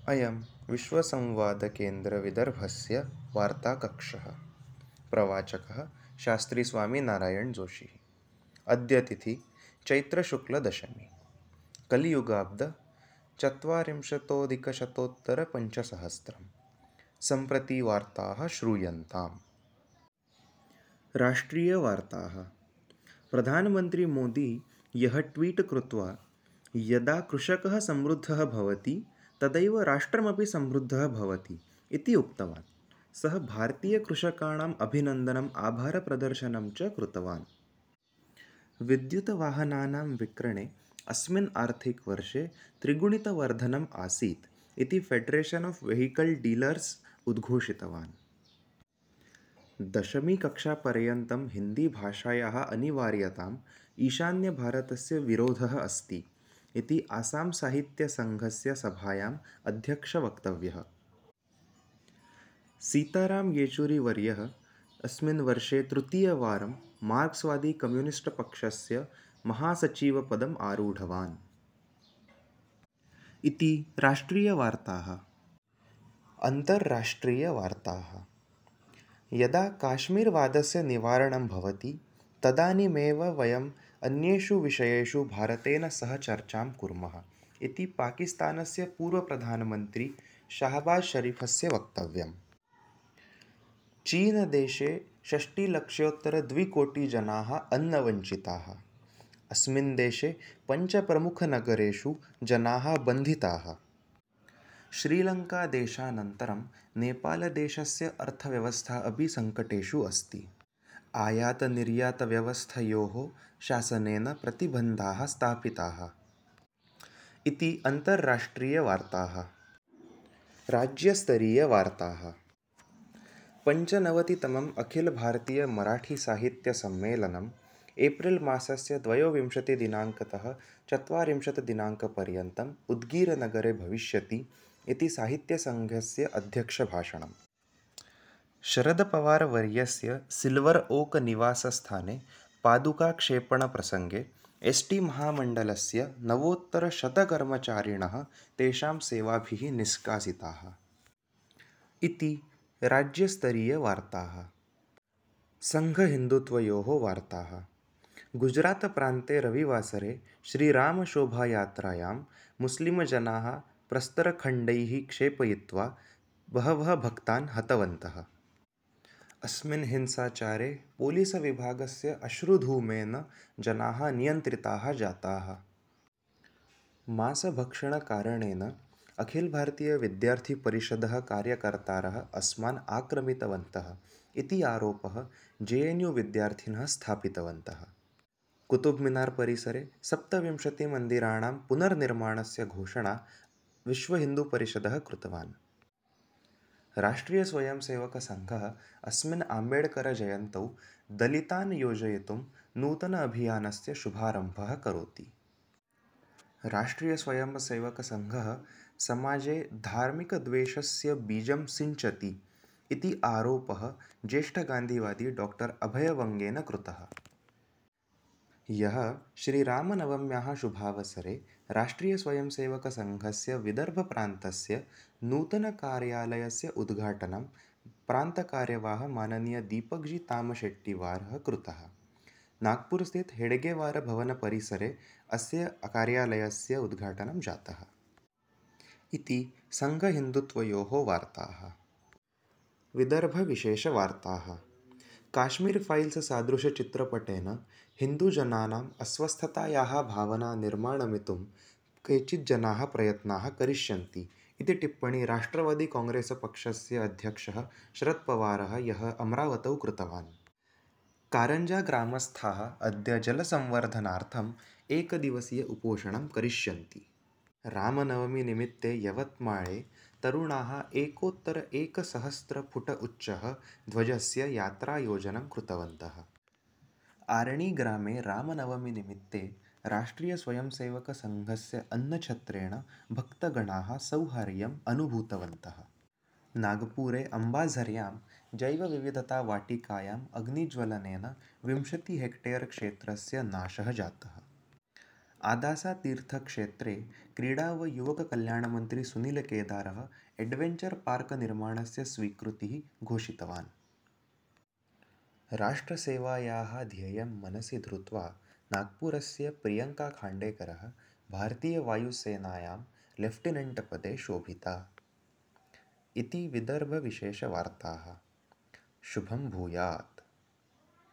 अयं विश्वसंवादकेन्द्रविदर्भस्य वार्ताकक्षः। प्रवाचकः शास्त्रीस्वामिनारायणजोशी। अद्य तिथि चैत्रशुक्लदशमी। कलियुगाब्द चत्वारिंशतोऽधिकशतोत्तरपञ्चसहस्रम्। सम्प्रति वार्ताः श्रूयन्ताम्। राष्ट्रीयवार्ताः। प्रधानमन्त्री मोदी यः ट्वीट् कृत्वा यदा कृषकः समृद्धः भवति तदैव राष्ट्रमपि समृद्धः भवति इति उक्तवान्, सः भारतीयकृषकाणाम् अभिनन्दनम् आभारप्रदर्शनं च कृतवान्। विद्युतवाहनानां विक्रयणे अस्मिन् आर्थिकवर्षे त्रिगुणितवर्धनम् आसीत् इति फेडरेशन् ऑफ वेहिकल डीलर्स् उद्घोषितवान्। दशमीकक्षापर्यन्तं हिन्दीभाषायाः अनिवार्यताम् ईशान्यभारतस्य विरोधः अस्ति इति आसां साहित्यसङ्घस्य सभायाम् अध्यक्षवक्तव्यः। सीताराम येचुरीवर्यः अस्मिन् वर्षे तृतीयवारं मार्क्स्वादी कम्युनिस्ट् पक्षस्य महासचिवपदम् आरूढवान्। इति राष्ट्रीयवार्ताः। अन्तर्राष्ट्रीयवार्ताः। यदा काश्मीरवादस्य निवारणं भवति तदानीमेव वयम् अन्येषु विषयेषु भारतेन सह चर्चां कुर्मः इति पाकिस्तानस्य पूर्वप्रधानमन्त्री शाहबाज शरीफस्य वक्तव्यम्। चीनदेशे 6,00,000,200,000 अन्नवञ्चिताः। अस्मिन् देशे 5 प्रमुखनगरेषु जनाः बन्धिताः। श्रीलङ्कादेशानन्तरं नेपालदेशस्य अर्थव्यवस्था अपि सङ्कटेषु अस्ति। आयातनिर्यातव्यवस्थयोः शासनेन प्रतिबन्धाः स्थापिताः। इति अन्तर्राष्ट्रीयवार्ताः। राज्यस्तरीयवार्ताः। 95तमम् अखिलभारतीयमराठीसाहित्यसम्मेलनम् एप्रिल् मासस्य 22 दिनाङ्कतः 40 दिनाङ्कपर्यन्तम् उद्गीरनगरे भविष्यति इति साहित्यसङ्घस्य अध्यक्षभाषणम्। शरदपवारवर्यस्य सिल्वर् ओक् निवासस्थाने पादुकाक्षेपणप्रसङ्गे एस्.टी. महामण्डलस्य 9,100 कर्मचारिणः तेषां सेवाभिः निष्कासिताः। इति राज्यस्तरीयवार्ताः। सङ्घहिन्दुत्वयोः वार्ताः। गुजरातप्रान्ते रविवासरे श्रीरामशोभायात्रायां मुस्लिमजनाः प्रस्तरखण्डैः क्षेपयित्वा बहवः भक्तान् हतवन्तः। अस्मिन् हिंसाचारे पोलीसविभागस्य अश्रुधूमेन जनाः नियन्त्रिताः जाताः। मांसभक्षणकारणेन अखिलभारतीयविद्यार्थिपरिषदः कार्यकर्तारः अस्मान् आक्रमितवन्तः इति आरोपः JNU-विद्यार्थिनः स्थापितवन्तः। कुतुब्मिनार् परिसरे 27 मन्दिराणां पुनर्निर्माणस्य घोषणा विश्वहिन्दुपरिषदः कृतवान्। राष्ट्रीयस्वयंसेवकसङ्घः अस्मिन् आम्बेड्करजयन्तौ दलितान् योजयितुं नूतन अभियानस्य शुभारम्भः करोति। राष्ट्रीयस्वयंसेवकसङ्घः समाजे धार्मिकद्वेषस्य बीजं सिञ्चति इति आरोपः ज्येष्ठगान्धिवादी डॉक्टर् अभयवङ्गेन कृतः। यः श्रीरामनवम्याः शुभावसरे राष्ट्रीयस्वयंसेवकसङ्घस्य विदर्भप्रान्तस्य नूतनकार्यालयस्य उद्घाटनं प्रान्तकार्यवाह माननीय दीपकजी तामशेट्टिवारः कृतः। नागपुरस्थित हेडगेवारभवनपरिसरे अस्य कार्यालयस्य उद्घाटनं जातः। इति सङ्घहिन्दुत्वयोः वार्ताः। विदर्भविशेषवार्ताः। काश्मीर फाइल्स् सादृशचित्रपटेन हिन्दुजनानाम् अस्वस्थतायाः भावना निर्माणयितुं केचित् जनाः प्रयत्नाः करिष्यन्ति इति टिप्पणी राष्ट्रवादी काङ्ग्रेस् पक्षस्य अध्यक्षः शरदपवारः यः अमरावतौ कृतवान्। कारञ्जाग्रामस्थाः अद्य जलसंवर्धनार्थम् एकदिवसीय उपोषणं करिष्यन्ति। रामनवमीनिमित्ते यवत्माळे तरुणाः 1,100 फुट उच्चः ध्वजस्य यात्रायोजनं कृतवन्तः। आरणीग्रामे रामनवमीनिमित्ते राष्ट्रीयस्वयंसेवकसङ्घस्य अन्नछत्रेण भक्तगणाः सौहार्यम् अनुभूतवन्तः। नागपुरे अम्बाझर्यां जैवविविधतावाटिकायाम् अग्निज्वलनेन 20 हेक्टेर् क्षेत्रस्य नाशः जातः। आदासातीर्थक्षेत्रे क्रीडा व युवककल्याणमन्त्री सुनीलकेदारः एड्वेञ्चर् पार्क् निर्माणस्य स्वीकृतिः घोषितवान्। राष्ट्रसेवायाः ध्येयं मनसि धृत्वा नागपुरस्य प्रियङ्का खाण्डेकरः भारतीयवायुसेनायां लेफ्टिनेण्ट् पदे शोभिता इति विदर्भविशेषवार्ताः। शुभं भूयात्।